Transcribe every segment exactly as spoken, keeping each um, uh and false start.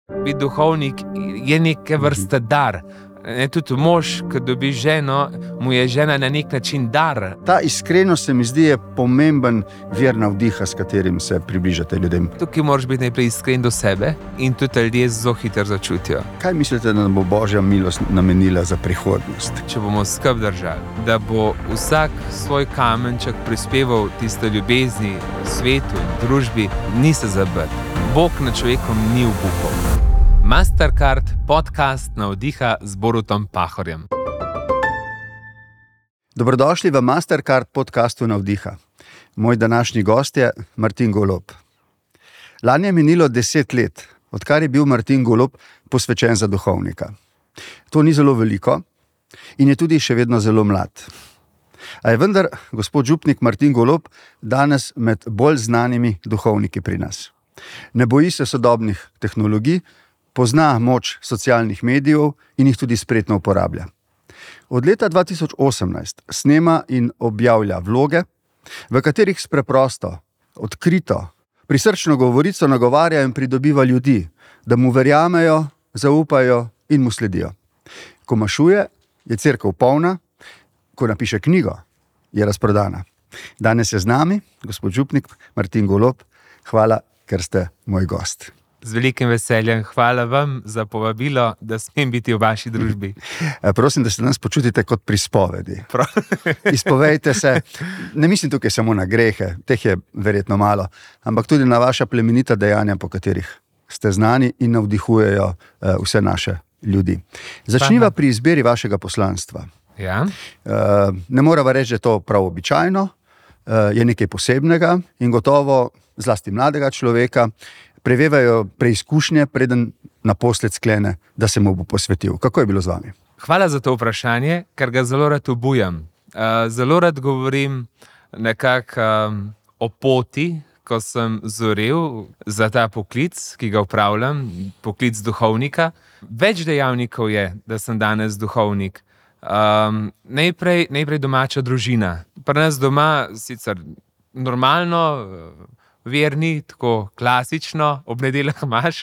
Biti duhovnik je neke vrste dar. Ne, tudi mož, ko dobi ženo, mu je žena na nek način dar. Ta iskrenost se mi zdi je pomemben vir navdiha, s katerim se približate ljudem. Tukaj moraš biti najprej iskren do sebe in tudi ljudje zelo hitro začutijo. Kaj mislite, da nam bo Božja milost namenila za prihodnost? Če bomo skrb držali, da bo vsak svoj kamenček prispeval tisto ljubezni v svetu in družbi, ni se zabrt. Bog nad človekom ni obupal. Mastercard, podcast navdiha z Borutom Pahorjem. Dobrodošli v Mastercard podcastu Navdiha. Moj današnji gost je Martin Golob. Lani je minilo deset let, odkar je bil Martin Golob posvečen za duhovnika. To ni zelo veliko in je tudi še vedno zelo mlad. A je vendar gospod župnik Martin Golob danes med bolj znanimi duhovniki pri nas. Ne boji se sodobnih tehnologij, pozna moč socialnih medijev in jih tudi spretno uporablja. Od leta dva tisoč osemnajst snema in objavlja vloge, v katerih s preprosto, odkrito, prisrčno govorico nagovarja in pridobiva ljudi, da mu verjamejo, zaupajo in mu sledijo. Ko mašuje, je cerkev polna, ko napiše knjigo, je razprodana. Danes je z nami gospod župnik Martin Golob. Hvala, ker ste moj gost. Z velikim veseljem. Hvala vam za povabilo, da smem biti v vaši družbi. Prosim, da se danes počutite kot pri spovedi. Izpovejte se, ne mislim tukaj samo na grehe, teh je verjetno malo, ampak tudi na vaša plemenita dejanja, po katerih ste znani in navdihujejo vse naše ljudi. Začniva pri izbiri vašega poslanstva. Ja. Ne morava reči, da je to prav običajno, je nekaj posebnega in gotovo zlasti mladega človeka prevevajo preizkušnje, preden naposled sklene, da se mu bo posvetil. Kako je bilo z vami? Hvala za to vprašanje, ker ga zelo rad obujam. Zelo rad govorim nekako o poti, ko sem zorel za ta poklic, ki ga upravljam, poklic duhovnika. Več dejavnikov je, da sem danes duhovnik. Um, najprej, najprej domača družina. Pri nas doma sicer normalno, verni, tako klasično, ob nedeljah imaš,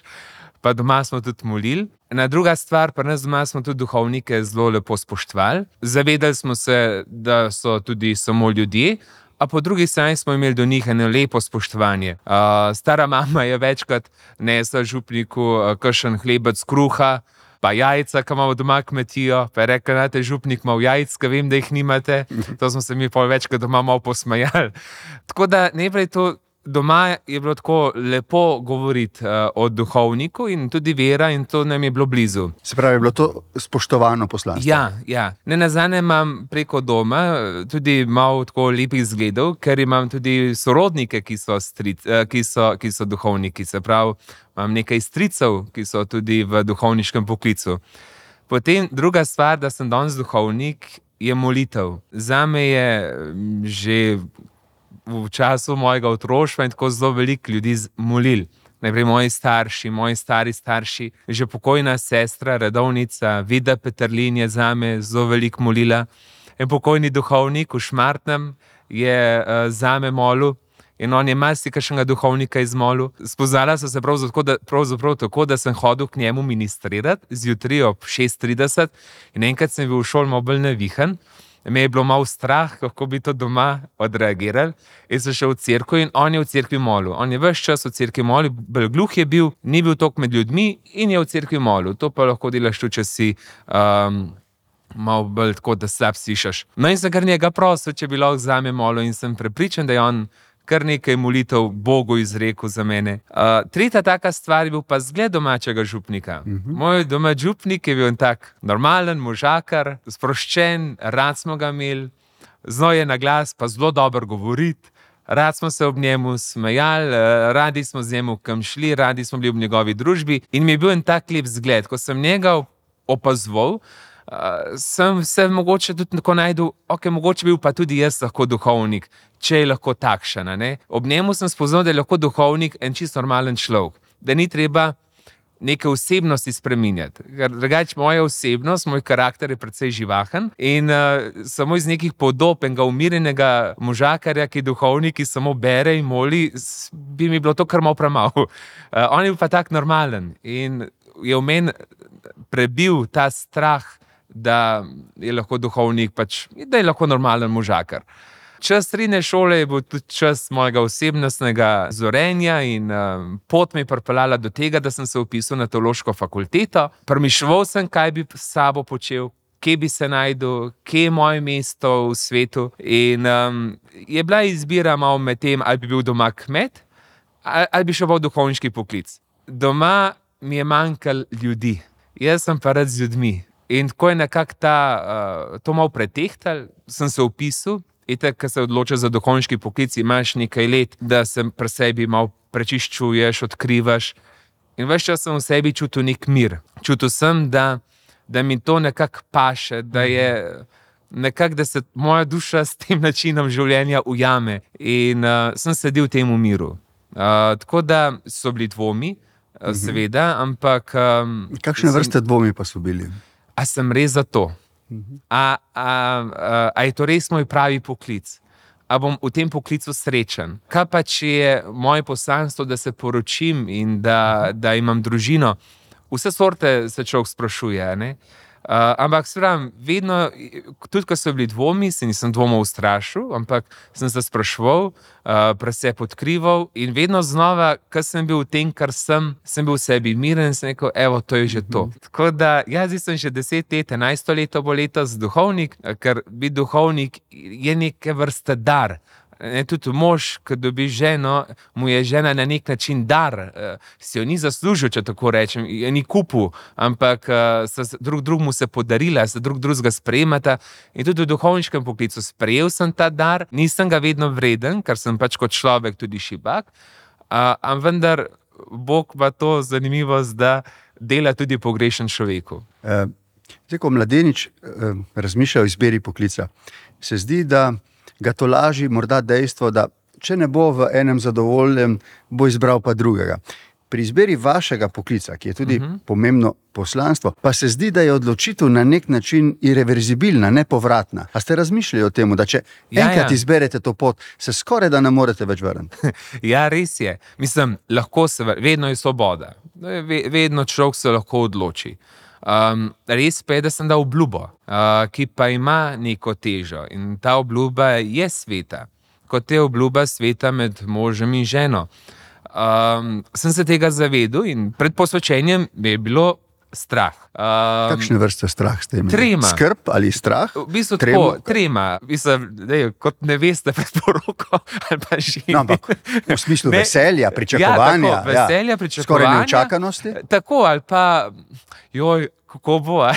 pa doma smo tudi molili. Na druga stvar, pri nas doma smo tudi duhovnike zelo lepo spoštovali. Zavedali smo se, da so tudi samo ljudje, a po drugi strani smo imeli do njih eno lepo spoštovanje. Uh, stara mama je večkrat nesla župniku uh, kakšen hlebec kruha, pa jajca, ki imamo doma kmetijo, pa je rekla, da je župnik imel jajc, ki vem, da jih nimate. To smo se mi pol večkrat doma malo posmejali. Tako da najprej to doma je bilo tako lepo govoriti uh, o duhovniku in tudi vera in to nam je bilo blizu. Se pravi, je bilo to spoštovano poslanstvo? Ja, ja. Ne nazadnje imam preko doma tudi malo tako lepih zgledov, ker imam tudi sorodnike, ki so, stric, uh, ki so, ki so duhovniki. Se pravi, imam nekaj stricev, ki so tudi v duhovniškem poklicu. Potem druga stvar, da sem danes duhovnik, je molitev. Zame je že v času mojega otroštva in tako zelo veliko ljudi molil. Najprej moji starši, moji stari starši, že pokojna sestra, redovnica, Vida Peterlin je zame zelo veliko molila. En pokojni duhovnik v Šmartnem je uh, zame molil in on je marsikakšnega duhovnika izmolil. Spoznala so se pravzaprav, pravzaprav tako, da sem hodil k njemu ministrirati zjutraj ob šest trideset in enkrat sem bil v šoli malo bolj navihan. Me je bilo malo strah, kako bi to doma odreagirali. In sem šel v cerkev in on je v cerkvi molil. On je ves čas v cerkvi molil, bolj gluh je bil, ni bil toliko med ljudmi in je v cerkvi molil. To pa lahko delaš tudi, če si um, malo bolj tako, da slab slišiš. No in sem kar njega prosil, če bi lahko zame molil in sem prepričan, da je on kar nekaj molitev Bogu izrekel za mene. Uh, tretja taka stvar je bil pa zgled domačega župnika. Uh-huh. Moj domač župnik je bil en tak normalen možakar, sproščen, rad smo ga imeli, znal je na glas pa zelo dobro govoriti, rad smo se ob njemu smejali, radi smo z njemu kam šli, radi smo bili v njegovi družbi in mi je bil en tak lep zgled. Ko sem njega opazoval, Uh, sem se mogoče tudi tako najdel, ok, mogoče bil pa tudi jaz lahko duhovnik, če je lahko takšen. Ne? Ob njemu sem spoznal, da je lahko duhovnik en čisto normalen človek. Da ni treba neke osebnosti spreminjati. Ker drugače moja osebnost, moj karakter je precej živahen in uh, samo iz nekih podob enega umirjenega možakarja, ki je duhovnik, ki samo bere in moli, bi mi bilo to kar malo premalo. Uh, on je pa tak normalen in je v meni prebil ta strah, da je lahko duhovnik, pač, da je lahko normalen možakar. Čas srednje šole je bil tudi čas mojega osebnostnega zorenja in um, pot me je pripeljala do tega, da sem se vpisal na teološko fakulteto. Premišljeval sem, kaj bi s sabo počel, kje bi se najdel, kje je moje mesto v svetu. In um, je bila izbira malo med tem, ali bi bil doma kmet, ali, ali bi šel v duhovniški poklic. Doma mi je manjkalo ljudi, jaz sem pa rad z ljudmi. In ko je nekako ta, uh, to malo pretehtal, sem se vpisal. Itak, ko se odločaš za duhovniški poklic, imaš nekaj let, da se pri sebi malo prečiščuješ, odkrivaš. In ves čas sem v sebi čutil nek mir. Čutil sem, da, da mi to nekako paše, da je nekako, da se moja duša s tem načinom življenja ujame. In uh, sem sedel v tem miru. Uh, tako da so bili dvomi, uh, seveda, ampak... Um, Kakšne sem, vrste dvomi pa so bili? A sem res za to? A, a, a, a je to res moj pravi poklic? A bom v tem poklicu srečen? Kaj pa, če je moje poslanstvo, da se poročim in da, da imam družino? Vse sorte se človek sprašuje, ne? Uh, ampak seveda, vedno, tudi ko so bili dvomi, se nisem dvomov ustrašil, ampak sem se spraševal, uh, preseb odkrival in vedno znova, ko sem bil v tem, kar sem, sem bil v sebi miren in sem rekel, evo, to je že to. Mm-hmm. Tako da, jaz sem že deset let, enajsto leto bo letos duhovnik, ker biti duhovnik je neke vrste dar. Ne, tudi mož, ko dobi ženo, mu je žena na nek način dar, uh, si jo ni zaslužil, če tako rečem, je ni kupil, ampak uh, se drug drugemu se podarila, se drug drugega sprejemata. In tudi v duhovniškem poklicu sprejel sem ta dar, nisem ga vedno vreden, ker sem pač kot človek tudi šibak, uh, ampak vendar Bog pa to zanimivost, da dela tudi pogrešen človeku. Uh, zdaj, ko mladenič uh, razmišlja o izbiri poklica, se zdi, da ga tolaži morda dejstvo, da če ne bo v enem zadovoljen, bo izbral pa drugega. Pri izbiri vašega poklica, ki je tudi uh-huh. pomembno poslanstvo, pa se zdi, da je odločitev na nek način irreverzibilna, nepovratna. A ste razmišljali o tem, da če ja, enkrat ja. izberete to pot, se skoraj da ne morete več vrniti? Ja, res je. Mislim, lahko se, vedno je svoboda. Vedno človek se lahko odloči. Um, res pa je, da sem dal obljubo, uh, ki pa ima neko težo in ta obljuba je sveta, kot je obljuba sveta med možem in ženo. Um, sem se tega zavedel in pred posvečenjem je bilo strah. Um, Kakšne vrste strah ste imeli? Trema. Skrb ali strah? V bistvu tako, trema. Mislim, dej, kot neveste pred poroko ali pa ženi. No, ampak v smislu ne, veselja, pričakovanja. Ja, tako, veselja, ja. pričakovanja. Skoraj neučakanosti? Tako, ali pa, joj, kako bo, a?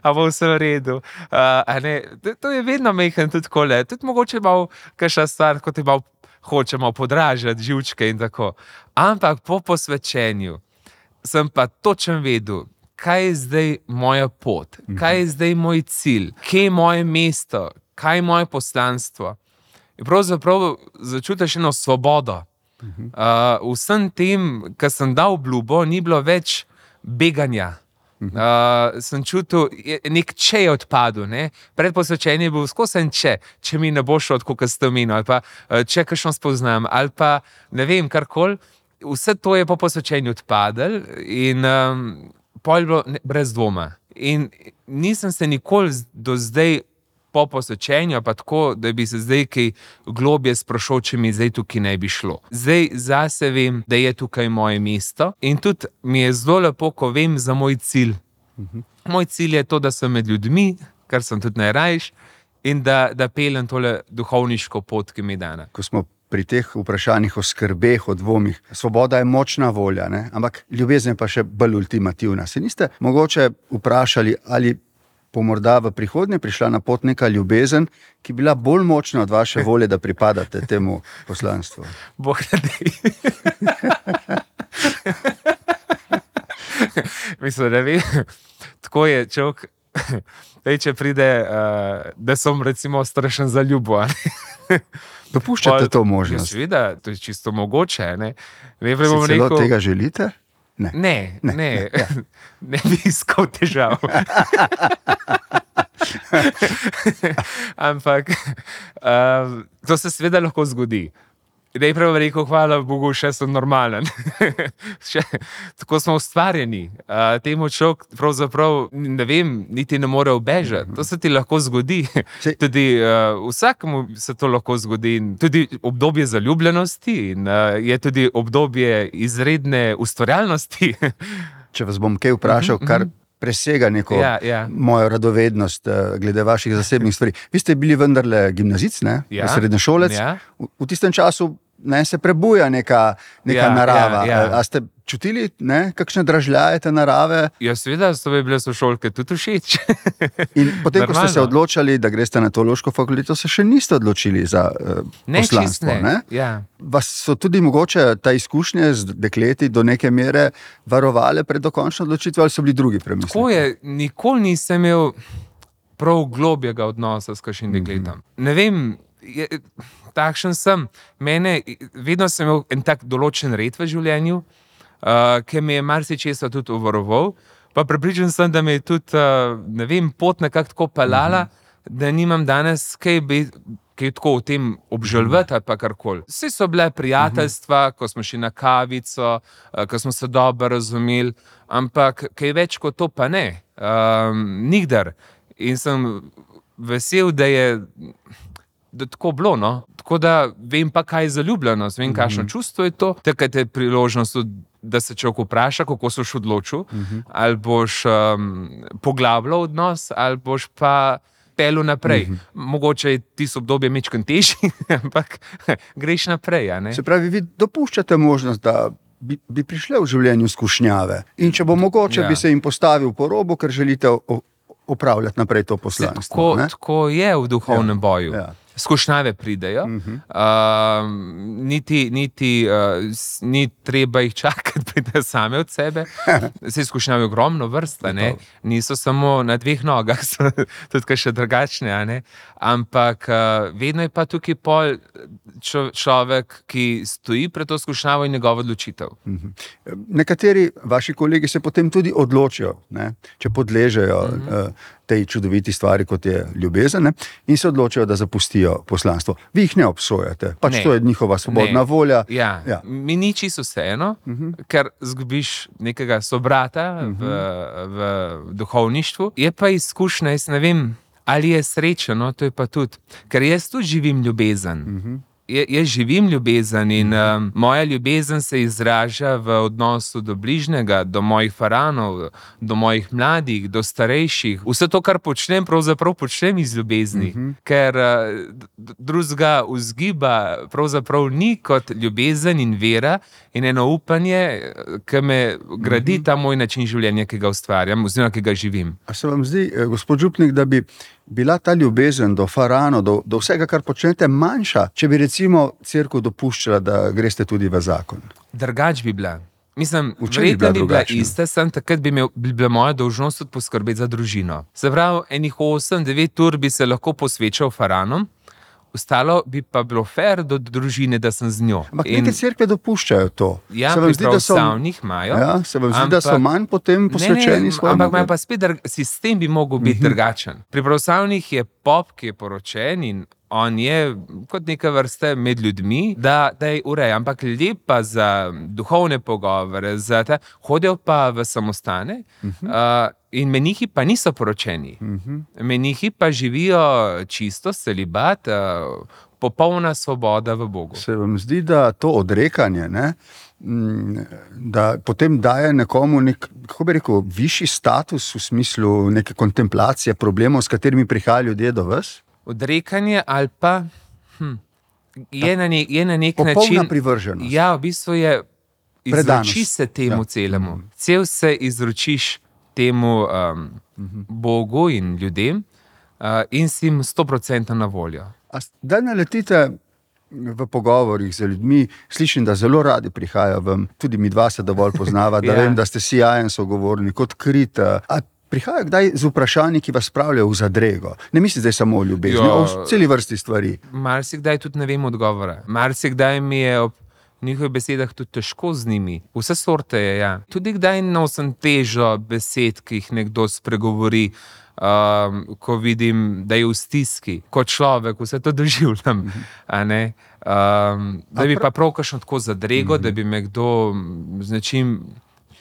A bo vse v redu. Uh, a ne, to, to je vedno mehen tudi kole. Tudi mogoče malo kakšna stvar, kot je malo hočemo podražati živčke in tako. Ampak po posvečenju sem pa točno vedel, kaj je zdaj moja pot, kaj je zdaj moj cilj, kje je moje mesto, kaj je moje poslanstvo. In pravzaprav začutiš eno svobodo. Uh, vsem tem, kar sem dal obljubo, ni bilo več beganja. Uh, sem čutil, nek če je odpadel. Ne? Pred posvečenjem je bil skozi en če, če mi ne bo šlo tako, kot ste omenili, ali pa če kakšno spoznam, ali pa ne vem, karkoli. Vse to je po posvečenju odpadlo in um, pol je bilo ne, brez dvoma. In nisem se nikoli do zdaj po posvečenju, pa tako, da bi se zdaj kaj globje sprašal, če mi zdaj tukaj ne bi šlo. Zdaj zase vem, da je tukaj moje mesto in tudi mi je zelo lepo, ko vem za moj cilj. Uh-huh. Moj cilj je to, da sem med ljudmi, kar sem tudi najrajš, in da, da peljem tole duhovniško pot, ki mi je dana. Ko smo pri teh vprašanjih o skrbeh, o dvomih, svoboda je močna volja, ne? Ampak ljubezen pa še bolj ultimativna. Se niste mogoče vprašali, ali bo morda v prihodnje prišla na pot neka ljubezen, ki je bila bolj močna od vaše volje, da pripadate temu poslanstvu? Bog ne dej. Mislim, da vem, tako je človek, če pride, uh, da sem recimo strašen za ljubo. Dopuščate to možnost? Ja, seveda, to je čisto mogoče. Ne? Ne, si celo rekel, tega želite? Ne, ne, ne, ne, ja. ne bi iskal težav. Ampak um, to se seveda lahko zgodi. Najprej bom rekel, hvala Bogu, še sem normalen. še, tako smo ustvarjeni. Uh, temu človek pravzaprav, ne vem, niti ne more ubežati. To se ti lahko zgodi. Tudi uh, vsakemu se to lahko zgodi. Tudi obdobje zaljubljenosti in uh, je tudi obdobje izredne ustvarjalnosti. Če vas bom kaj vprašal, kar presega neko ja, ja. mojo radovednost glede vaših zasebnih stvari. Vi ste bili vendarle gimnazic, ne? Ja. Srednješolec. Ja. V, v tistem času ne, se prebuja neka, neka ja, narava. Ja, ja. A ste čutili, ne, kakšne dražljaje te narave? Ja, seveda so mi bile sošolke tudi všeč. In potem, ko ste Normalno. se odločali, da greste na teološko fakulteto, se še niste odločili za uh, Ne, poslanstvo. čist ne. Ja. Vas so tudi mogoče ta izkušnje z dekleti do neke mere varovale pred dokončno odločitvijo, ali so bili drugi premisleki? Tako je, nikoli nisem imel prav globjega odnosa s kakšnim dekletom. Ne vem, je, takšen sem. Mene, vedno sem imel en tak določen red v življenju, uh, ki me je marsičesa tudi obvaroval, pa prepričan sem, da me je tudi, uh, ne vem, pot nekako tako pelala, mm-hmm. da nimam danes kaj bi kaj tako o tem obžalovati ali pa karkoli. Vse so bile prijateljstva, uh-huh. ko smo šli na kavico, ko smo se dobro razumeli, ampak kaj več kot to pa ne. Um, nikdar. In sem vesel, da je da tako bilo, no. Tako da vem pa, kaj je zaljubljenost, vem, kakšno uh-huh. čustvo je to. Takrat je priložnost, da se človek vpraša, kako se boš odločil, uh-huh. ali boš um, poglabljal odnos, ali boš pa pelu naprej. Mm-hmm. Mogoče je tisto obdobje mečkan težji, ampak greš naprej. A ne? Se pravi, vi dopuščate možnost, da bi, bi prišle v življenju skušnjave in če bo mogoče, ja. bi se jim postavil po robu, ker želite o, opravljati naprej to poslanstvo. Tako, tako je v duhovnem ja. boju. Ja. Skušnjave pridejo, uh-huh. uh, niti, niti uh, ni treba jih čakati, pridejo same od sebe. Se skušnjave ogromno vrsta, ne? Niso samo na dveh nogah, so tudi še drugačne, a ne? Ampak uh, vedno je pa tukaj pol čo, človek, ki stoji pred to skušnjavo in njegova odločitev. Uh-huh. Nekateri vaši kolegi se potem tudi odločijo, ne? Če podležejo uh-huh. uh, tej čudoviti stvari, kot je ljubezen, ne? In se odločijo, da zapustijo poslanstvo. Vi jih ne obsojate, pač ne. To je njihova svobodna ne. volja. Ja. Ja. Mi ni čisto vseeno, uh-huh. ker zgubiš nekega sobrata uh-huh. v, v duhovništvu. Je pa izkušnja, jaz ne vem, ali je srečeno, to je pa tudi, ker jaz tudi živim ljubezen. Uh-huh. Jaz živim ljubezen in um, moja ljubezen se izraža v odnosu do bližnjega, do mojih faranov, do mojih mladih, do starejših. Vse to, kar počnem, pravzaprav počnem iz ljubezni, uh-huh. ker uh, drugega vzgiba pravzaprav ni kot ljubezen in vera in eno upanje, ki me gradi uh-huh. ta moj način življenja, ki ga ustvarjam, oziroma ki ga živim. A se vam zdi, gospod župnik, da bi bila ta ljubezen do farano, do, do vsega, kar počnete, manjša, če bi recimo cerkev dopuščala, da greste tudi v zakon? Drugač bi bila. Mislim, verjetno bi bila ista, sem takrat bi, imel, bi bila moja dolžnost tudi poskrbeti za družino. Se pravi, enih osem, devet ur bi se lahko posvečal faranom, ostalo bi pa bilo fair do družine, da sem z njo. Ampak in neke cerkve dopuščajo to. Ja, pri pravoslavnih imajo. Ja, se vam zdi, ampak, da so manj potem posvečeni svojemu? Ampak ima pa spet, sistem bi mogel biti uh-huh. drugačen. Pri pravoslavnih je pop, ki je poročen in on je kot neka vrste med ljudmi, da, da je ureja. Ampak ljudje pa za duhovne pogovore, za te, hodijo pa v samostane uh-huh. uh, in menihi pa niso poročeni. Uh-huh. Menihi pa živijo čisto, celibat, uh, popolna svoboda v Bogu. Se vam zdi, da to odrekanje, ne, da potem daje nekomu nek, kako bi rekel, višji status v smislu neke kontemplacije problemov, s katerimi prihajajo ljudje do vas? Odrekanje ali pa hm, je, na ne, je na nek popolna način... Popolna privrženost. Ja, v bistvu je izroči se temu ja. celemu. Cel se izročiš temu um, uh-huh. Bogu in ljudem uh, in si jim sto procentov na voljo. A da naletite v pogovorih z ljudmi, slišim, da zelo radi prihajajo vam, tudi mi dva se dovolj poznava, da ja. vem, da ste sijajen sogovornik, odkrit. A prihajajo kdaj z vprašanji, ki vas spravljajo v zadrego? Ne mislite samo o ljubezni, o celi vrsti stvari. Marsikdaj tudi ne vem odgovora. Marsikdaj mi je ob v njihovih besedah tudi težko z njimi. Vse sorte je, ja. Tudi kdaj nosim težo besed, ki jih nekdo spregovori, um, ko vidim, da je v stiski. Kot človek vse to doživljam, a ne. Um, da bi pa prav kakšno tako zadrego, da bi me kdo z nečim,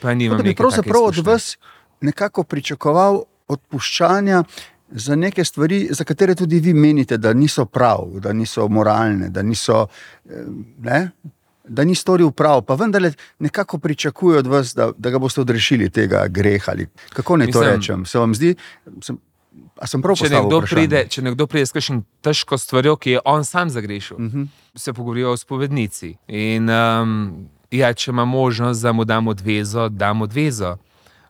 pa nimam Da bi neke take pravzaprav od izkušnje. vas nekako pričakoval odpuščanja za neke stvari, za katere tudi vi menite, da niso prav, da niso moralne, da niso, eh, ne, da ni storil prav, pa vendarle nekako pričakuje od vas, da, da ga boste odrešili tega greha. Ali kako naj to Mislim- rečem? Se vam zdi, sem, a sem prav Če postavil nekdo, vprašanje? pride, če nekdo pride s kakšnim težko stvarjo, ki je on sam zagrešil, uh Mhm. -huh. se pogovorijo o spovednici. In um, ja, če ima možnost, da mu dam odvezo, dam odvezo.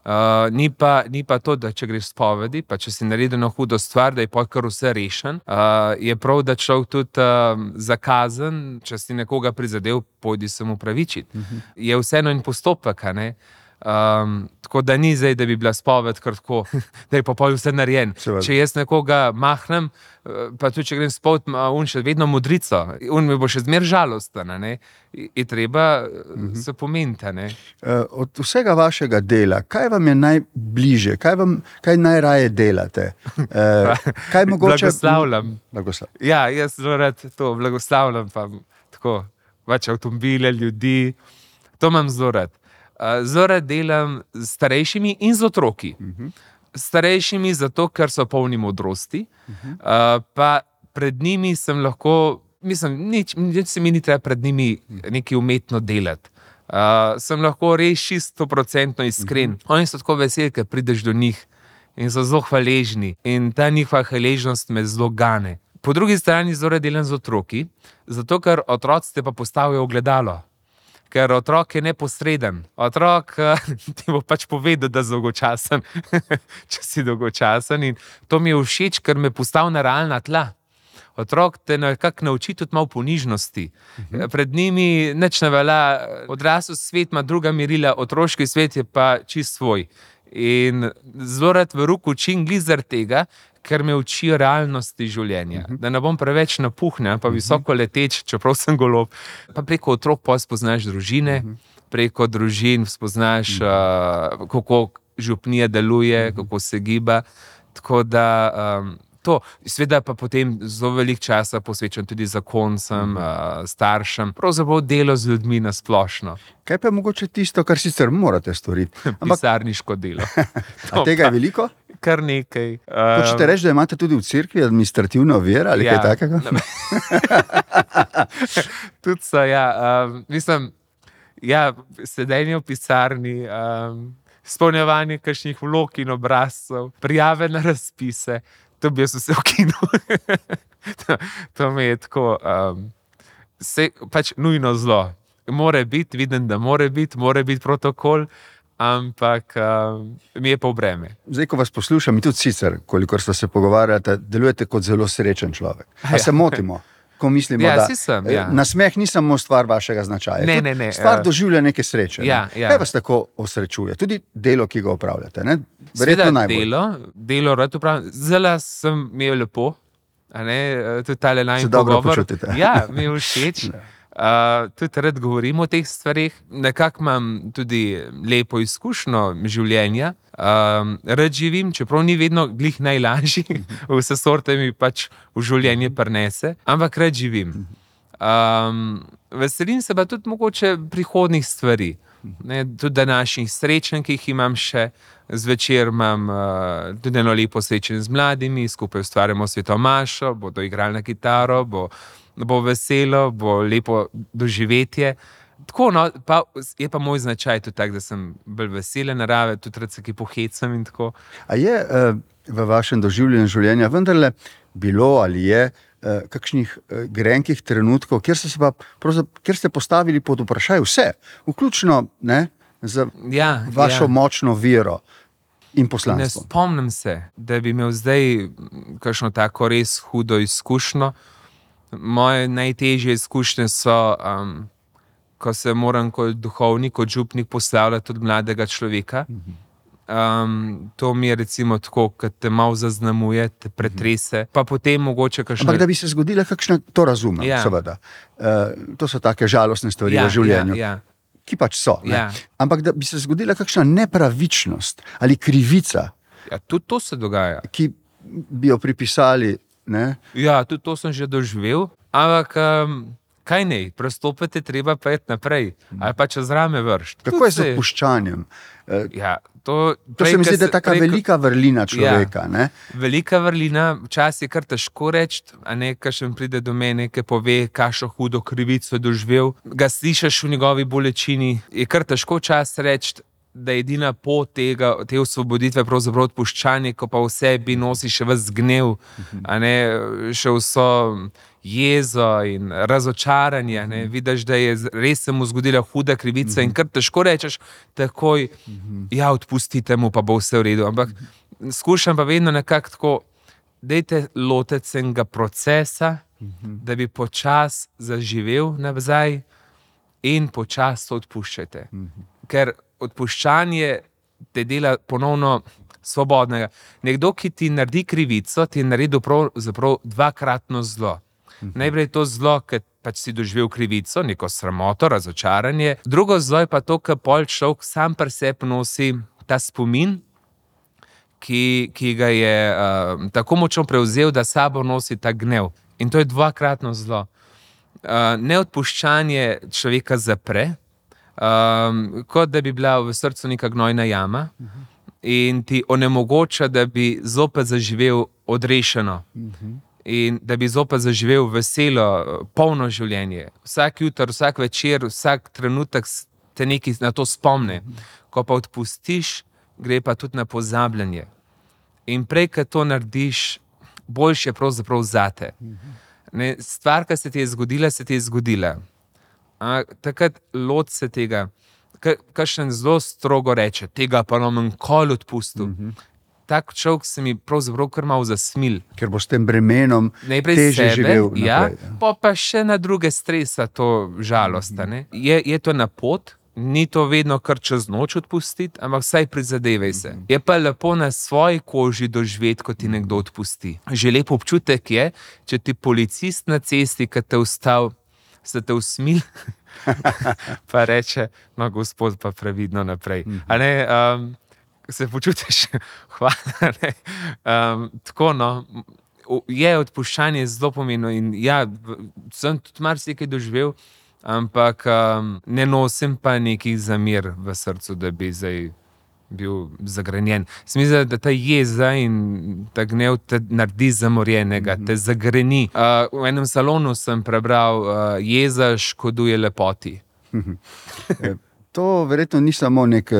Uh, ni, pa, ni pa to, da če greš spovedi, pa če si naredil eno hudo stvar, da je pa kar vse rešen. Uh, je prav, da človek tudi uh, zakazen, če si nekoga prizadel, pojdi se mu pravičiti. Uh -huh. Je vseeno en postopek, a ne? Um, tako da ni zdaj, da bi bila spoved kar tako, da je pa pol vse narejen. Seveda. Če jaz nekoga mahnem, eh, pa tudi če grem spoved, ima on še vedno modrico, on mi bo še zmer žalosten, a ne. Je je treba uh-huh. se pomeniti, a ne. Eh, Od vsega vašega dela, kaj vam je najbliže, kaj, vam, kaj najraje delate? Eh, kaj mogoče... Blagoslavljam. Blagoslav. Ja, jaz zelo rad to blagoslavljam, pa tako, pač avtomobile, ljudi, to imam zelo rad. Uh, zelo rad delam s starejšimi in z otroki. Uh-huh. Starejšimi zato, ker so polni modrosti, uh-huh. uh, pa pred njimi sem lahko, mislim, nič, nič se mi ni treba pred njimi nekaj umetno delati. Uh, sem lahko res čisto procentno iskren. Uh-huh. Oni so tako veseli, ker prideš do njih in so zelo hvaležni. In ta njihova hvaležnost me zelo gane. Po drugi strani zelo rad delam z otroki, zato ker otroci te pa postavijo ogledalo. Ker otrok je neposreden. Otrok ti bo pač povedal, da je dolgočasen, če si dolgočasen. In to mi je všeč, ker me postavi na realna tla. Otrok te nekako nauči tudi malo ponižnosti. Uh-huh. Pred njimi nič ne velja, odrasel svet ima druga merila, otroški svet je pa čist svoj. In zelo rad v ruku učim glih zaradi tega, ker me učijo realnosti življenja. Uh-huh. Da ne bom preveč napuhnjen, pa visoko leteč, čeprav sem golob. Pa preko otrok pa spoznaš družine, uh-huh. preko družin spoznaš, uh-huh. uh, kako župnija deluje, uh-huh. kako se giba. Tako da um, to, seveda pa potem zelo veliko časa posvečam tudi zakoncem, uh, staršem, pravzaprav delo z ljudmi na splošno. Kaj pa je mogoče tisto, kar sicer morate storiti? Ampak Pisarniško delo. a tega je veliko? Kar nekaj. Hočete reči, da imate tudi v cerkvi administrativno vero ali Ja. kaj takega? Tudi so, ja. Um, mislim, ja, sedenje v pisarni, um, izpolnjevanje kakšnih vlog in obrazcev, prijave na razpise, to bi jaz vse ukinil. to, to mi je tako, um, se, pač nujno zlo. More biti, vidim, da more biti, more biti protokol, ampak um, mi je pa v breme. Zdaj, ko vas poslušam, in tudi sicer, kolikor ste se pogovarjali, delujete kot zelo srečen človek. A Ja. se motimo? Ko mislimo, Ja, da saj sem, eh, ja. nasmeh ni samo stvar vašega značaja. Ne, tudi ne, ne, Stvar eh, doživlja neke sreče. ja, ne. ja. Kaj vas tako osrečuje? Tudi delo, ki ga opravljate. Ne? Verjetno Seveda najbolj. delo, delo rad upravljam. Zelo sem imel lepo, a ne, tudi tale najmanj Se dobro pogovor. počutite. Ja, mi je všeč. Uh, tudi rad govorim o teh stvareh. Nekako imam tudi lepo izkušnjo življenja. Um, rad živim, čeprav ni vedno glih najlažji, vse sorte mi pač v življenje prinese, ampak rad živim. Um, veselim se pa tudi mogoče prihodnih stvari. Ne, tudi današnjih srečanj, ki jih imam še, zvečer imam uh, tudi eno lepo srečanje z mladimi, skupaj ustvarjamo svetomašo, bodo igrali na kitaro, bo, bo veselo, bo lepo doživetje. Tako, no, pa je pa moj značaj tudi tak, da sem bolj vesele narave, tudi rad se ki pohecam in tako. A je eh, v vašem doživljenju življenja vendarle bilo ali je eh, kakšnih eh, grenkih trenutkov, kjer ste, se pa, pravzaprav- kjer ste postavili pod vprašaj vse, vključno ne, z Ja, vašo ja. močno vero in Ne poslanstvo? spomnim se, da bi imel zdaj kakšno tako res hudo izkušnjo. Moje najtežje izkušnje so, um, ko se moram kot duhovnik, kot župnik poslavljati od mladega človeka. Um, to mi je recimo tako, ko te malo zaznamuje, te pretrese, pa potem mogoče kakšno... Ampak da bi se zgodila kakšna, to razumem, Ja. seveda. Uh, to so take žalostne stvari Ja, v življenju, ja, ja. ki pač so. Ne? Ja. Ampak da bi se zgodila kakšna nepravičnost ali krivica, Ja, tudi to se dogaja. ki bi jo pripisali, ne? Ja, tudi to sem že doživel, ampak um, kaj ne, prestopiti je treba pa iti naprej, ali pa čez rame vršiti. Kako je z odpuščanjem? Uh, Ja, to, to se mi zdi, da je taka prej, velika vrlina človeka. Ja. Velika vrlina, včasih je kar težko reči, a ne, kakšen pride do mene, ki pove, kakšno hudo krivico je doživel. Ga slišiš v njegovi bolečini, je kar težko čas reči, da je edina pot tega, te osvoboditve pravzaprav odpuščanje, ko pa v sebi nosi še ves gnev, a ne, še vso jezo in razočaranje. Ne. Vidiš, da je res se mu zgodila huda krivica in kar težko rečeš takoj, ja, odpustite mu, pa bo vse v redu. Ampak skušam pa vedno nekako tako, dajte lotiti se enega procesa, da bi počas zaživel nazaj in počas to odpuščate. Ker odpuščanje te dela ponovno svobodnega. Nekdo, ki ti naredi krivico, ti je naredil pravzaprav dvakratno zlo. Najprej je to zlo, ker pač si doživel krivico, neko sramoto, razočaranje. Drugo zlo je pa to, ker pol človek sam pri sebi nosi ta spomin, ki, ki ga je uh, tako močno prevzel, da sabo nosi ta gnev. In to je dvakratno zlo. Uh, neodpuščanje človeka zapre, um, kot da bi bila v srcu neka gnojna jama in ti onemogoča, da bi zopet zaživel odrešeno. In da bi zopet zaživel veselo, polno življenje. Vsak jutr, vsak večer, vsak trenutek te nekaj na to spomne. Ko pa odpustiš, gre pa tudi na pozabljanje. In prej, ko to narediš, boljše je pravzaprav zate. Ne, stvar, ki se ti je zgodila, se ti je zgodila. A, takrat lot se tega, kakšen zelo strogo reče, tega pa nam nikoli odpustil. Tak človek se mi pravzaprav kar malo zasmil. Ker bo s tem bremenom najprej težje sebe, živel ja, naprej. pa, pa še na druge stresa to žalost. Mm-hmm. Je, je to na pot, ni to vedno kar čez noč odpustiti, ampak vsaj prizadevaj se. Mm-hmm. Je pa lepo na svoji koži doživeti, ko ti nekdo odpusti. Že lep občutek je, če ti policist na cesti, ki te ustavi, se te usmili, pa reče, no, gospod, pa previdno naprej. Mm-hmm. A ne, um, se počutiš, hvala. Ne? Um, tako, no, je odpuščanje zelo pomembno in ja, sem tudi marsikaj doživel, ampak um, ne nosim pa nekih zamer v srcu, da bi zdaj bil zagrenjen. Mislim, da ta jeza in ta gnev te naredi zamorjenega, te zagreni. Uh, v enem salonu sem prebral, uh, jeza škoduje lepoti. To verjetno ni samo nek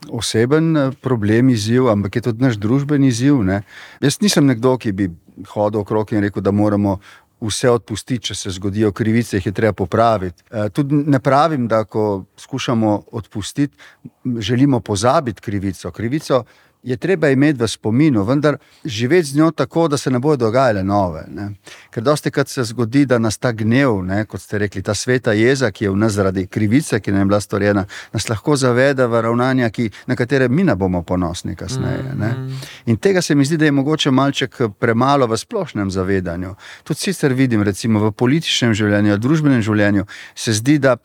oseben problem, izziv, ampak je tudi naš družbeni izziv. Ne? Jaz nisem nekdo, ki bi hodil okrog in rekel, da moramo vse odpustiti, če se zgodijo krivice, jih je treba popraviti. E, tudi ne pravim, da ko skušamo odpustiti, želimo pozabiti krivico. Krivico je treba imeti v spominu, vendar živeti z njo tako, da se ne bodo dogajale nove. Ne? Ker dostikrat se zgodi, da nas ta gnev, ne, kot ste rekli, ta sveta jeza, ki je v nas zaradi krivice, ki nam je bila storjena, nas lahko zavede v ravnanja, ki, na katere mi ne bomo ponosni kasneje. Ne? In tega se mi zdi, da je mogoče malček premalo v splošnem zavedanju. Tudi sicer vidim, recimo v političnem življenju, v družbenem življenju, se zdi, da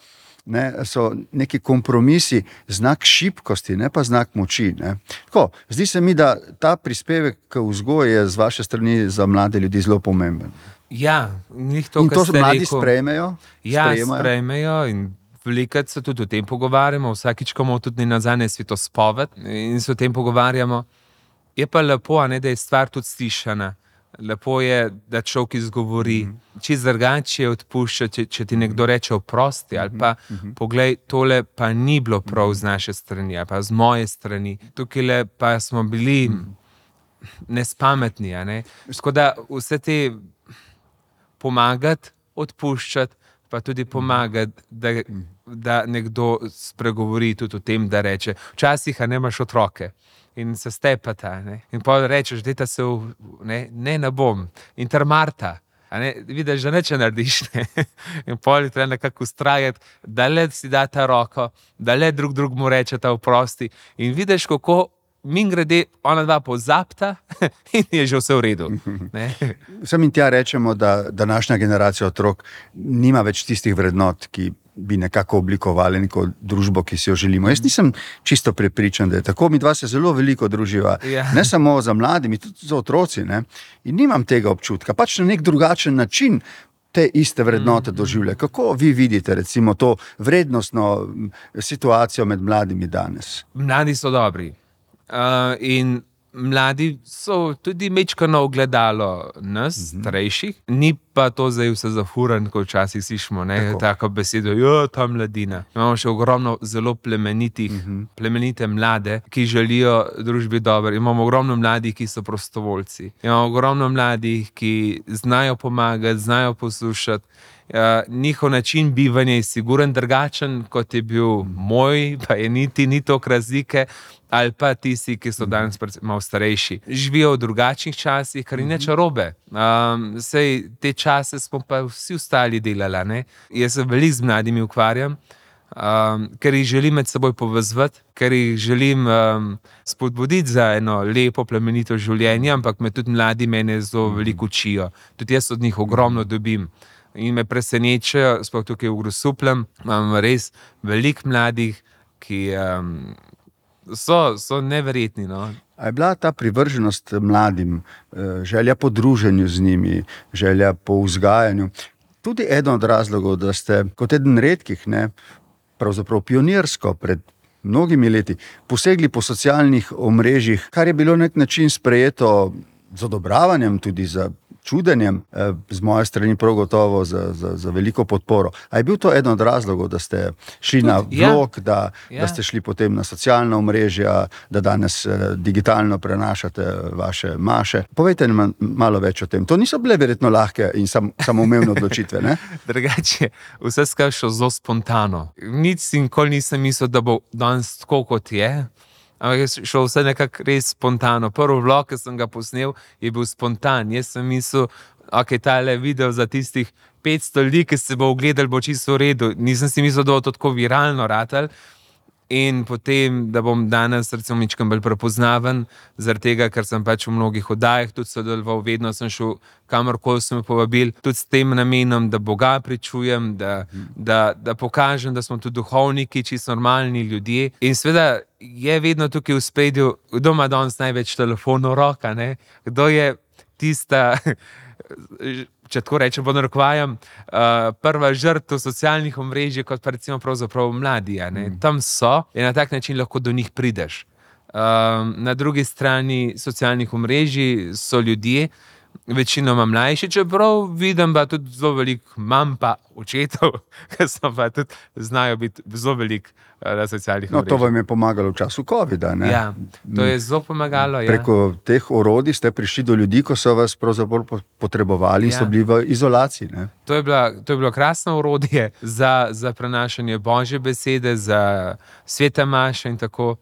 ne, so neki kompromisi znak šibkosti, ne pa znak moči. Ne. Tako, zdi se mi, da ta prispevek k vzgoji je z vaše strani za mlade ljudi zelo pomemben. Ja, njih to, in to mladi rekel, sprejmejo? Ja, sprejemajo? sprejmejo in velikrat se tudi o tem pogovarjamo, vsakič, ko imamo tudi nazadnje svetospoved in se o tem pogovarjamo. Je pa lepo, ne, da je stvar tudi slišana. Lepo je, da človek izgovori, mm -hmm. če drugače odpušča, če, če ti nekdo reče oprosti, ali pa mm -hmm. poglej, tole pa ni bilo prav z naše strani, ali pa z moje strani. Tukaj pa smo bili mm -hmm. nespametni. Ne? Tako da vse te pomagati, odpuščati, pa tudi pomagati, da, da nekdo spregovori tudi o tem, da reče, včasih a ne imaš otroke. In se stepata, ne? In pa rečeš, da se v, ne, ne, ne bom. In ter Marta, ne? Vidiš, da neče narediš. Ne? In pol je treba nekako ustrajati, da le si da ta roko, da le drug drug mu reče ta oprosti. In vidiš, kako min grede, ona dva pozapta in je že vse v redu. Ne? Sem in tja rečemo, da današnja generacija otrok nima več tistih vrednot, ki bi nekako oblikovali neko družbo, ki si jo želimo. Jaz nisem čisto prepričan, da je tako. Mi dva se zelo veliko druživa, Ja. ne samo za mladimi, tudi za otroci. Ne? In nimam tega občutka. Pač na nek drugačen način te iste vrednote doživlja. Kako vi vidite recimo to vrednostno situacijo med mladimi danes? Mladi so dobri. Uh, in mladi so tudi mečkano ogledalo nas, uh-huh. starejših, ni pa to zdaj vse zafuran, kot včasih slišimo, ne, Tako. tako besedo, jo, ta mladina. Imamo še ogromno zelo plemenitih, Mhm. plemenite mlade, ki želijo družbi dobro. Imamo ogromno mladih, ki so prostovoljci. Imamo ogromno mladih, ki znajo pomagati, znajo poslušati. Uh, njihov način bivanja je siguren drugačen, kot je bil moj, pa je niti ni toliko razlike, ali pa tisti, ki so danes predvsem malo starejši. Živijo v drugačnih časih, kar ni nič narobe. Um, sej te čase smo pa vsi ostali delali, ne? Jaz se veliko z mladimi ukvarjam, um, ker jih želim med seboj povezati, ker jih želim um, spodbuditi za eno lepo, plemenito življenje, ampak me tudi mladi mene zelo veliko učijo. Tudi jaz od njih ogromno dobim. In me presenečajo, sploh tukaj v Grosupljem, imam res veliko mladih, ki um, so, so neverjetni. No? A je bila ta privrženost mladim, eh, želja po druženju z njimi, želja po vzgajanju, tudi eden od razlogov, da ste kot eden redkih, ne, pravzaprav pionirsko pred mnogimi leti, posegli po socialnih omrežjih, kar je bilo na nek način sprejeto z odobravanjem, tudi za čudenjem, eh, z moje strani prav gotovo za, za, za veliko podporo. A je bil to eden od razlogov, da ste šli Tudi, na ja. vlog, da, Ja. da ste šli potem na socialna omrežja, da danes eh, digitalno prenašate vaše maše? Povejte nam malo več o tem. To niso bile verjetno lahke in sam, samoumevne odločitve, ne? Drugače, vse skupaj šlo zelo spontano. Nič si nikoli nisem mislil, da bo danes tako, kot je. Ampak je šlo vse nekako res spontano. Prvi vlog, ki sem ga posnel, je bil spontan. Jaz sem mislil, ok, tale video za tistih petsto ljudi, ki se bo ogledali, bo čisto v redu. Nisem si mislil, da bo to tako viralno ratal. In potem, da bom danes recimo mičkam bolj prepoznaven, zaradi tega, ker sem pač v mnogih oddajah tudi sodeloval, vedno sem šel kamorkoli so me povabili, tudi s tem namenom, da Boga pričujem, da, da, da pokažem, da smo tudi duhovniki, čisto normalni ljudje. In seveda je vedno tukaj v spredju, kdo ima danes največ telefonov v roka, ne? Kdo je tista, če tako rečem, pod narekovajem, uh, prva žrtev socialnih omrežij, kot pa recimo pravzaprav mladi. a ne. Tam so in na tak način lahko do njih prideš. Um, na drugi strani socialnih omrežij so ljudje, večinoma mlajši, čeprav vidim pa tudi zelo veliko mam pa očetov, ki so pa tudi znajo biti zelo veliko uh, na socialnih No, to omrežjih. vam je pomagalo v času covida, ne? Ja, to je zelo pomagalo. Ja. Preko teh orodij ste prišli do ljudi, ko so vas pravzaprav po- potrebovali in Ja. so bili v izolaciji, ne? To je, bila, to je bilo krasno orodje za, za prenašanje Božje besede, za svete maše in tako.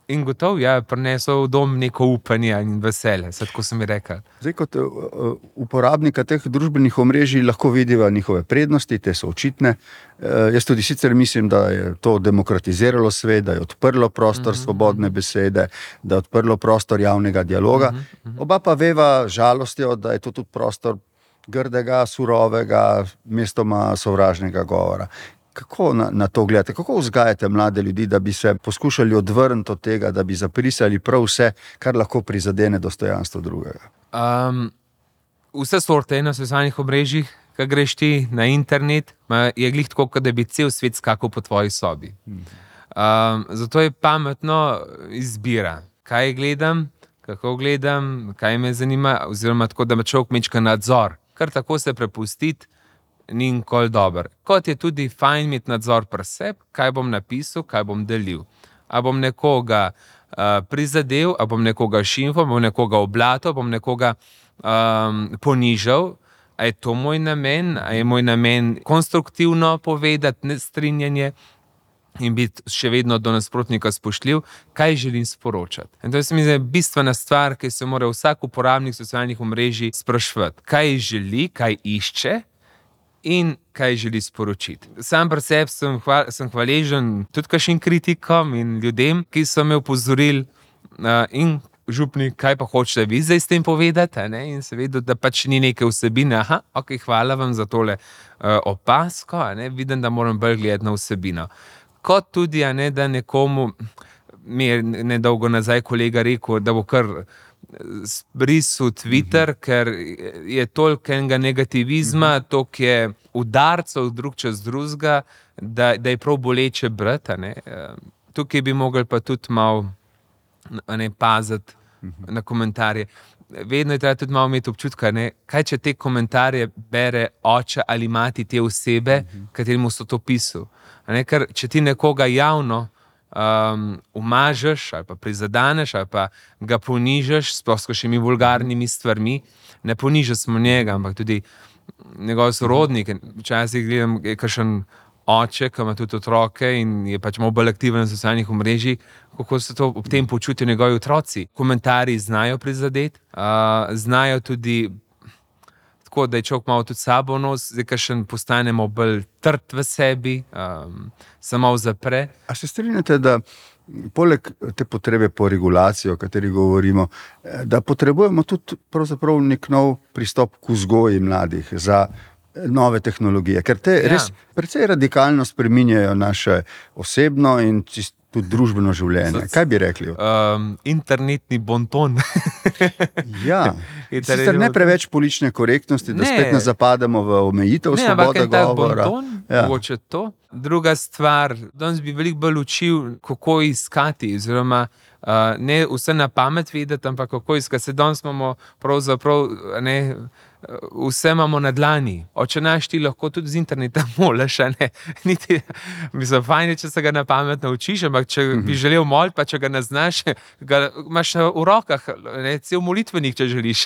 In gotovo, ja, prinesel v dom neko upanje in veselje, sad, ko sem mi rekel. Zdaj, kot uh, uh, uporabnika teh družbenih omrežij lahko vidiva njihove prednosti, te so očitne. Uh, jaz tudi sicer mislim, da je to demokratiziralo svet, da je odprlo prostor mm-hmm. svobodne besede, da je odprlo prostor javnega dialoga. Mm-hmm. Oba pa veva žalostjo, da je to tudi prostor grdega, surovega, mestoma sovražnega govora. Kako na, na to gledate? Kako vzgajate mlade ljudi, da bi se poskušali odvrniti od tega, da bi zaprisali prav vse, kar lahko prizadene dostojanstvo drugega? Um, vse sorte na socialnih omrežjih, ki greš ti na internet, ma, je glih tako, kot da bi cel svet skakal po tvoji sobi. Um, zato je pametno izbira, kaj gledam, kako gledam, kaj me zanima, oziroma tako, da me človek mečka nadzor. Kar tako se prepustiti, ni nikoli dober. Kot je tudi fajn imeti nadzor pri sebi, kaj bom napisal, kaj bom delil. A bom nekoga uh, prizadel, a bom nekoga šimfal, bom nekoga oblatil, bom nekoga um, ponižal. A je to moj namen, a je moj namen konstruktivno povedati nestrinjanje in biti še vedno do nasprotnika spoštljiv, kaj želim sporočati. In to se mi zdi bistvena stvar, ki se mora vsak uporabnik socialnih omrežij spraševati. Kaj želi, kaj išče in kaj želi sporočiti. Sam pri sebi sem, hval, sem hvaležen tudi kakšnim kritikom in ljudem, ki so me opozorili, uh, in župnik, kaj pa hočete vi zdaj s tem povedati, a ne? In se vedel, da pač ni neke vsebine. Aha, ok, hvala vam za tole uh, opasko, a ne? Vidim, da moram bolj gledati na vsebino. Kot tudi, a ne, da nekomu, mi je nedolgo nazaj kolega rekel, da bo kar zbrisal Twitter, uh-huh. ker je toliko enega negativizma, uh-huh. toliko je udarcev drug čez drugega, da, da je prav boleče brati, a ne? Uh, tukaj bi mogli pa tudi malo, a ne, paziti uh-huh. na komentarje. Vedno je treba tudi malo imeti občutka, ne, kaj če te komentarje bere oče ali mati te osebe, uh-huh. kateremu so to pisal. A ne, ker če ti nekoga javno um, umažeš ali pa prizadaneš ali pa ga ponižaš s kakšnimi vulgarnimi stvarmi, ne ponižaš samo njega, ampak tudi njegov sorodnik. Včasih gledam, je kakšen oče, ki ima tudi otroke in je pač malo bolj aktiven na socialnih omrežjih, kako se to ob tem počutijo njegovi otroci. Komentarji znajo prizadeti, uh, znajo tudi tako, da je človek malo tudi sabo nos, zdaj kakšen postanemo bolj trd v sebi, um, se malo zapre. A se strinjate, da poleg te potrebe po regulaciji, o kateri govorimo, da potrebujemo tudi pravzaprav nek nov pristop k vzgoji mladih za nove tehnologije, ker te ja. res precej radikalno spreminjajo naše osebno in tudi družbeno življenje. Kaj bi rekli? Um, internetni bonton. Ja, sicer ne preveč politične korektnosti, da ne. Spet ne zapademo v omejitev ne, svobode govora. Bonton, ja. Mogoče to. Druga stvar, danes bi veliko bolj učil, kako iskati, oziroma uh, ne vse na pamet vedeti, ampak kako iskati. Se danes imamo pravzaprav, ne, vse imamo na dlani. Oče naš ti lahko tudi z interneta moliš, ne? Niti, mislim, fajn je, če se ga na pamet naučiš, ampak če mm-hmm. bi želel moliti, pa če ga ne znaš, ga imaš v rokah, ne, cel molitvenik, če želiš.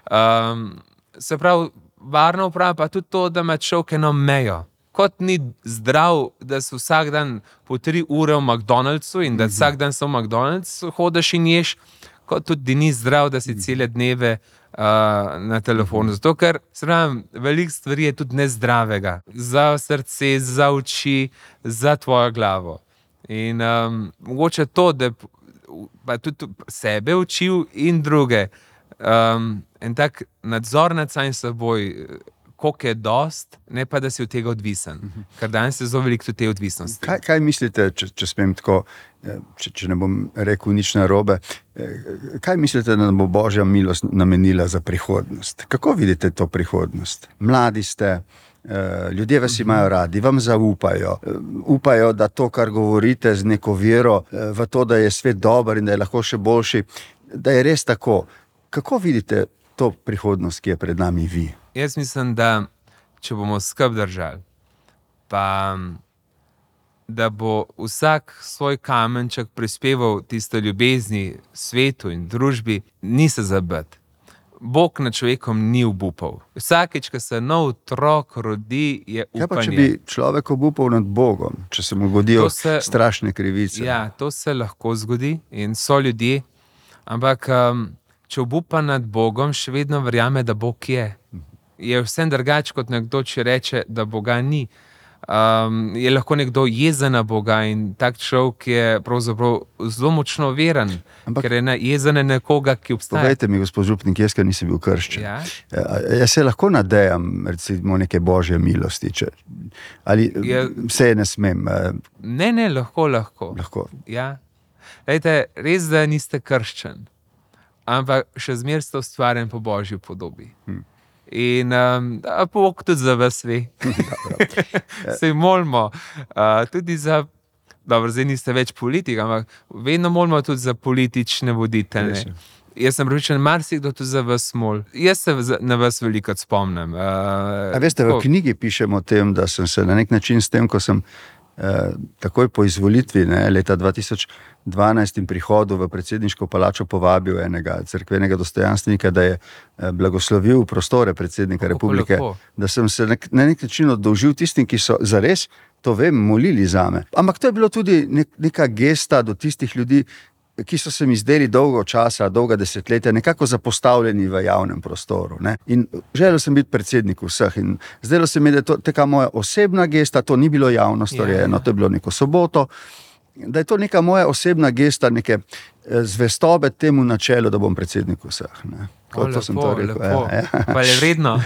Um, se pravi, varna uprava pa tudi to, da ima človek eno mejo. Kot ni zdrav, da se vsak dan po tri ure v McDonald'su in da mm-hmm. vsak dan so v McDonald'su hodiš in ješ, kot tudi ni zdrav, da si mm-hmm. cele dneve uh, na telefonu. Zato, ker se pravim, veliko stvari je tudi nezdravega. Za srce, za oči, za tvojo glavo. In um, mogoče to, da pa tudi sebe učil in druge. Um, en tak nadzor nad samim seboj, koliko je dost, ne pa, da si od tega odvisen. Uh-huh. Ker danes je zelo veliko te odvisnosti. Kaj, kaj mislite, če, če smem tako, če, če ne bom rekel nič narobe, kaj mislite, da nam bo Božja milost namenila za prihodnost? Kako vidite to prihodnost? Mladi ste, ljudje vas imajo radi, vam zaupajo, upajo, da to, kar govorite z neko vero v to, da je svet dober in da je lahko še boljši, da je res tako. Kako vidite to prihodnost, ki je pred nami vi? Jaz mislim, da če bomo skrb držali, pa da bo vsak svoj kamenček prispeval tisto ljubezni svetu in družbi, ni se zabiti. Bog nad človekom ni obupal. Vsakič, ko se nov otrok rodi, je upanje. Kaj pa, če bi človek obupal nad Bogom, če se mu godijo se, strašne krivice? Ja, to se lahko zgodi in so ljudje, ampak um, če obupa nad Bogom, še vedno verjame, da Bog je. Je vsem drugače, kot nekdo, če reče, da Boga ni. Um, je lahko nekdo jezen na Boga in tak človek je pravzaprav zelo močno veren, ampak, ker je jezen na nekoga, ki obstaja. Povejte mi, gospod župnik, jaz, ker nisem bil krščen. Ja? Jaz se lahko nadejam, recimo, neke Božje milosti, če, ali je, vse ne smem? Ne, ne, lahko, lahko. lahko. Ja. Lejte, res, da niste krščen, ampak še zmer ste ustvarjen po Božji podobi. Hm. In um, Bog tudi za vas ve. Se molimo uh, tudi za, dobro, zdaj niste več politik, ampak vedno molimo tudi za politične voditelje. Jaz sem prepričan, marsikdo tudi za vas mol. Jaz se na vas veliko spomnim. Uh, A veste, v knjigi pišemo o tem, da sem se na nek način s tem, ko sem eh, takoj po izvolitvi, ne, leta dva tisoč dvanajst in prihodu v predsedniško palačo povabil enega cerkvenega dostojanstvenika, da je eh, blagoslovil prostore predsednika Kako republike, lepo. Da sem se nek, na nek način oddolžil tistim, ki so zares, to vem, molili zame. Ampak to je bilo tudi nek, neka gesta do tistih ljudi, ki so se mi zdeli dolgo časa, dolga desetletja, nekako zapostavljeni v javnem prostoru. Ne? In želel sem biti predsednik vseh in zdelo se mi, da je to taka moja osebna gesta, to ni bilo javno storjeno, yeah. To je bilo neko soboto da je to neka moja osebna gesta, neke zvestobe temu načelu, da bom predsednik vseh. Ne. O, To, to sem lepo, to rekel. lepo. Ja, ja. Pa je vredno.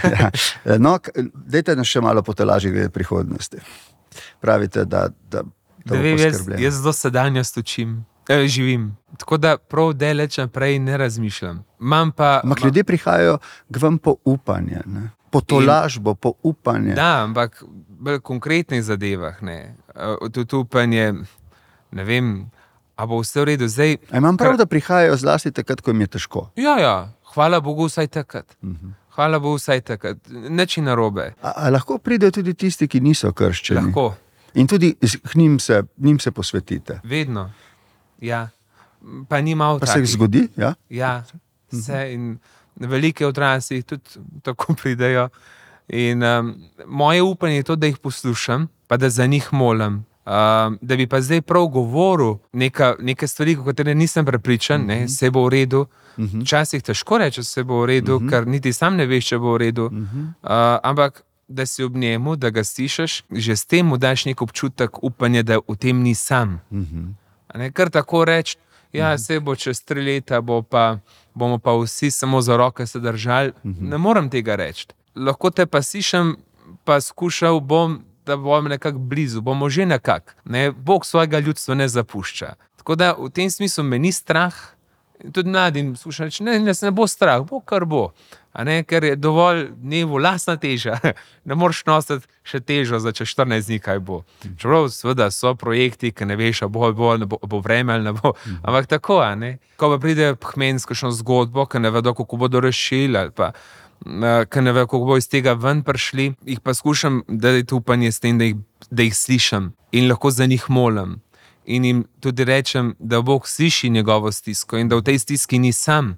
Ja. No, k- dajte nas še malo potolažiti glede prihodnosti. Pravite, da, da, da Da bo vem, jaz, poskrbljeno. jaz do sedanjost učim, eh, živim. Tako da prav daleč naprej ne razmišljam. Imam pa. Ampak ma- ljudje prihajajo k vam po upanje, ne? Po tolažbo, po upanje. Da, ampak v bolj konkretnih zadevah. Ne. Eh, Tudi upanje, ne vem, a bo vse v redu. Zdaj, A imam prav, kar- da prihajajo zlasti takrat, ko jim je težko. ja, ja, hvala Bogu vsaj takrat. Mhm. Hvala Bogu vsaj takrat. Nič ni narobe. A, a lahko pridejo tudi tisti, ki niso krščeni? Lahko, In tudi z- k njim se, njim se posvetite. vedno. Ja. Pa ni malo Pa se jih takih. zgodi? Ja? Ja, vse in velike odrasli tudi tako pridejo. In um, moje upanje je to, da jih poslušam, pa da za njih molim. Um, da bi pa zdaj prav govoril neka, neke stvari, o katerih nisem prepričan, ne, se bo v redu. Včasih težko reči, da se bo v redu, ker niti sam ne veš, če bo v redu. Uh, ampak da si ob njemu, da ga slišiš, že s tem mu daš nek občutek upanja, da v tem ni sam. A ne, kar tako reči, ja, se bo čez tri leta, bo pa, bomo pa vsi samo za roke se držali. Ne morem tega reči. Lahko te pa slišim, pa skušal bom, da bom nekako blizu, bomo že nekako. Ne? Bog svojega ljudstva ne zapušča. Tako da v tem smislu me ni strah. In tudi mladim slušam reči, ne, ne, se ne bo strah, bo kar bo. A ne, ker je dovolj dnevu lastna teža. Ne moreš nositi še težo za čez štirinajst dni, kaj bo. Čeprav seveda so projekti, ki ne veš, a bo, bo, ne bo, bo vreme ali ne bo. Ampak tako, a ne. Ko pa pride Phmen s kakšno zgodbo, ki ne vedo, kako bodo rešili, ali pa eh, ki ne vedo, kako bo iz tega ven prišli, jih pa skušam dati upanje s tem, da jih, da jih slišim in lahko za njih molim. In jim tudi rečem, da Bog sliši njegovo stisko in da v tej stiski ni sam.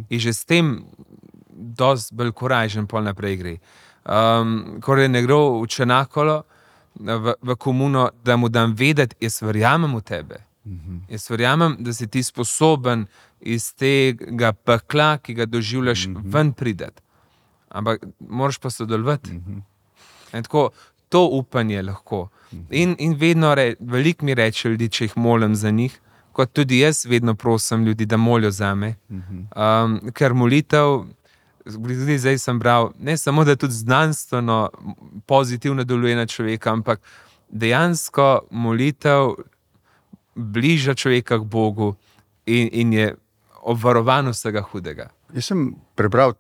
In že s tem dosti bolj korajžen pol naprej gre. Um, ko je nekdo v Čenakolo, v, v komuno, da mu dam vedeti, jaz verjamem v tebe. Jaz verjamem, da si ti sposoben iz tega pekla, ki ga doživljaš, ven prideti. Ampak moraš pa sodelovati. In tako, to upanje lahko. In, in vedno, re, veliko mi reče ljudi, če jih molim za njih, kot tudi jaz vedno prosim ljudi, da molijo za me. Um, ker molitev, tudi zdaj sem bral, ne samo, da tudi znanstveno pozitivno deluje na človeka, ampak dejansko molitev bliža človeka k Bogu in, in je obvarovan vsega hudega. Jaz sem prebral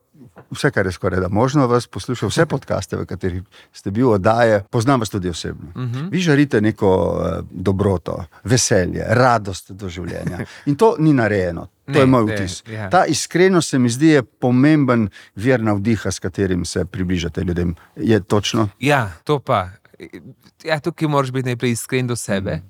vse, kar je skoraj da možno, vas poslušal, vse podcaste, v katerih ste bil oddaje, poznam vas tudi osebno. Uh -huh. Vi žarite neko uh, dobroto, veselje, radost do življenja. In to ni narejeno. To Ne, je moj ne, vtis. ja. Ta iskrenost se mi zdi je pomemben vir navdiha, s katerim se približate ljudem. Je točno? Ja, to pa. Ja, tukaj moraš biti najprej iskren do sebe.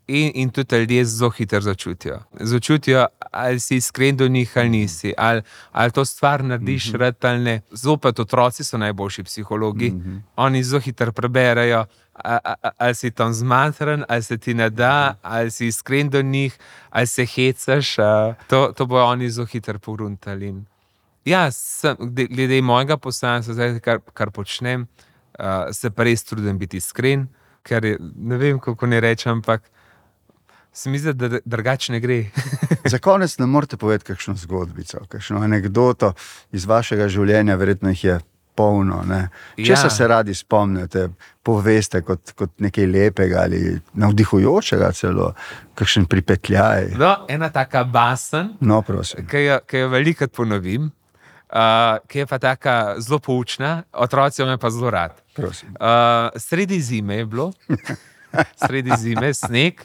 In, in tudi ljudje zelo hitro začutijo. Začutijo, ali si iskren do njih, ali nisi, ali, ali to stvar narediš, mm-hmm. rad ali ne. Zopet otroci so najboljši psihologi. Mm-hmm. Oni zelo hitro preberejo, a, a, ali si tam zmatran, ali se ti ne da, ali si iskren do njih, ali se hecaš. A, to, to bojo oni zelo hitro pogruntali. In ja, sem, glede mojega poslanstva, zdaj, kar, kar počnem, uh, se pa res trudim biti iskren, ker je, ne vem, kako ne rečem, ampak se mi zdi, da drugače ne gre. Za konec ne morete povedati kakšno zgodbico, kakšno anekdoto iz vašega življenja, verjetno jih je polno. Ne? Česa Ja. se radi spomnite, poveste kot, kot nekaj lepega ali navdihujočega celo, kakšen pripetljaj. No, ena taka basen, No, prosim. ki jo, ki jo velikokrat ponovim, uh, ki je pa taka zelo poučna, otroci me pa zelo rad. prosim. Uh, sredi zime je bilo, sredi zime, sneg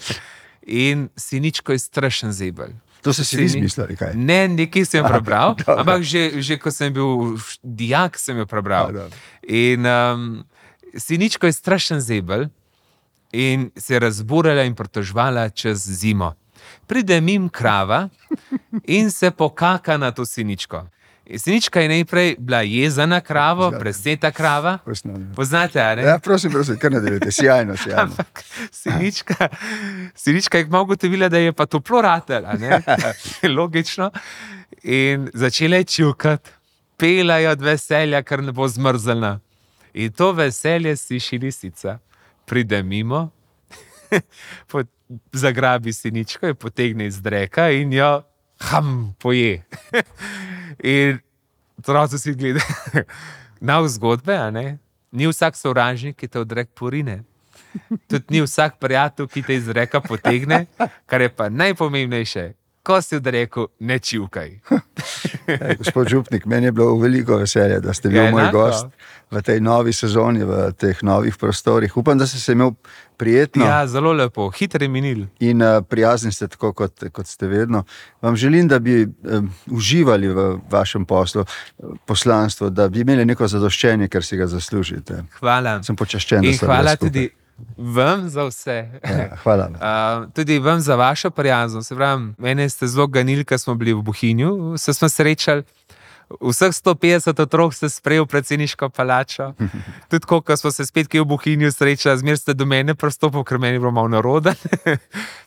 in Siničko je strašen zebelj. To ste si vi izmislili, kaj? Ne, nekaj sem jo prebral, dobro. ampak že, že ko sem bil š- dijak, sem jo prebral. A, dobro. In um, Siničko je strašen zebelj in se je razburala in pritoževala čez zimo. Pride mim krava in se pokaka na to Siničko. In Sinička je najprej bila jeza na kravo, presneta krava. Osnovno. Poznate, a ne? Ja, prosim, prosim, kar nadaljujte, sjajno, sjajno. Ampak Sinička, Sinička je kmalu ugotovila, da je pa toplo ratel, a ne? Logično. In začela je čukati, pela je od veselja, ker ne bo zmrzla. In to veselje sliši lisica. Pride mimo, po zagrabi siničko, jo potegne iz dreka in jo ham, poje. In otroci si gledajo nov zgodbe, a ne? Ni vsak sovražnik, ki te v drek porine. Tudi ni vsak prijatelj, ki te iz dreka potegne, kar je pa najpomembnejše. Ko si v dreku, ne čivkaj. Ej, gospod župnik, meni je bilo veliko veselje, da ste bil Ja, moj enako. gost v tej novi sezoni, v teh novih prostorih. Upam, da ste se imel prijetno Ja, zelo lepo, hitro je minil. in uh, prijazni ste tako, kot, kot ste vedno. Vam želim, da bi um, uživali v vašem poslu, uh, poslanstvu, da bi imeli neko zadoščenje, ker si ga zaslužite. Hvala. Sem počaščen, da In ste hvala bili skupaj. tudi vam za vse. Ja, hvala. Uh, tudi vam za vašo prijaznost. Se pravim, mene ste zelo ganili, ko smo bili v Bohinju, se smo srečali. Vseh sto petdeset otrok ste sprejel v predsedniško palačo. Tudi ko, ko smo se spet kje v Bohinju srečali, zmer ste do mene pristopili, ker meni je bilo malo naroden.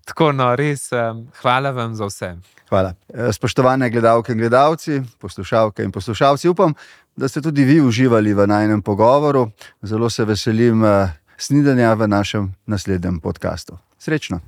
Tako, no, res, um, hvala vam za vse. Hvala. Eh, Spoštovane gledalke in gledalci, poslušalke in poslušalci, upam, da ste tudi vi uživali v najinem pogovoru. Zelo se veselim eh, snidenja v našem naslednjem podkastu. Srečno!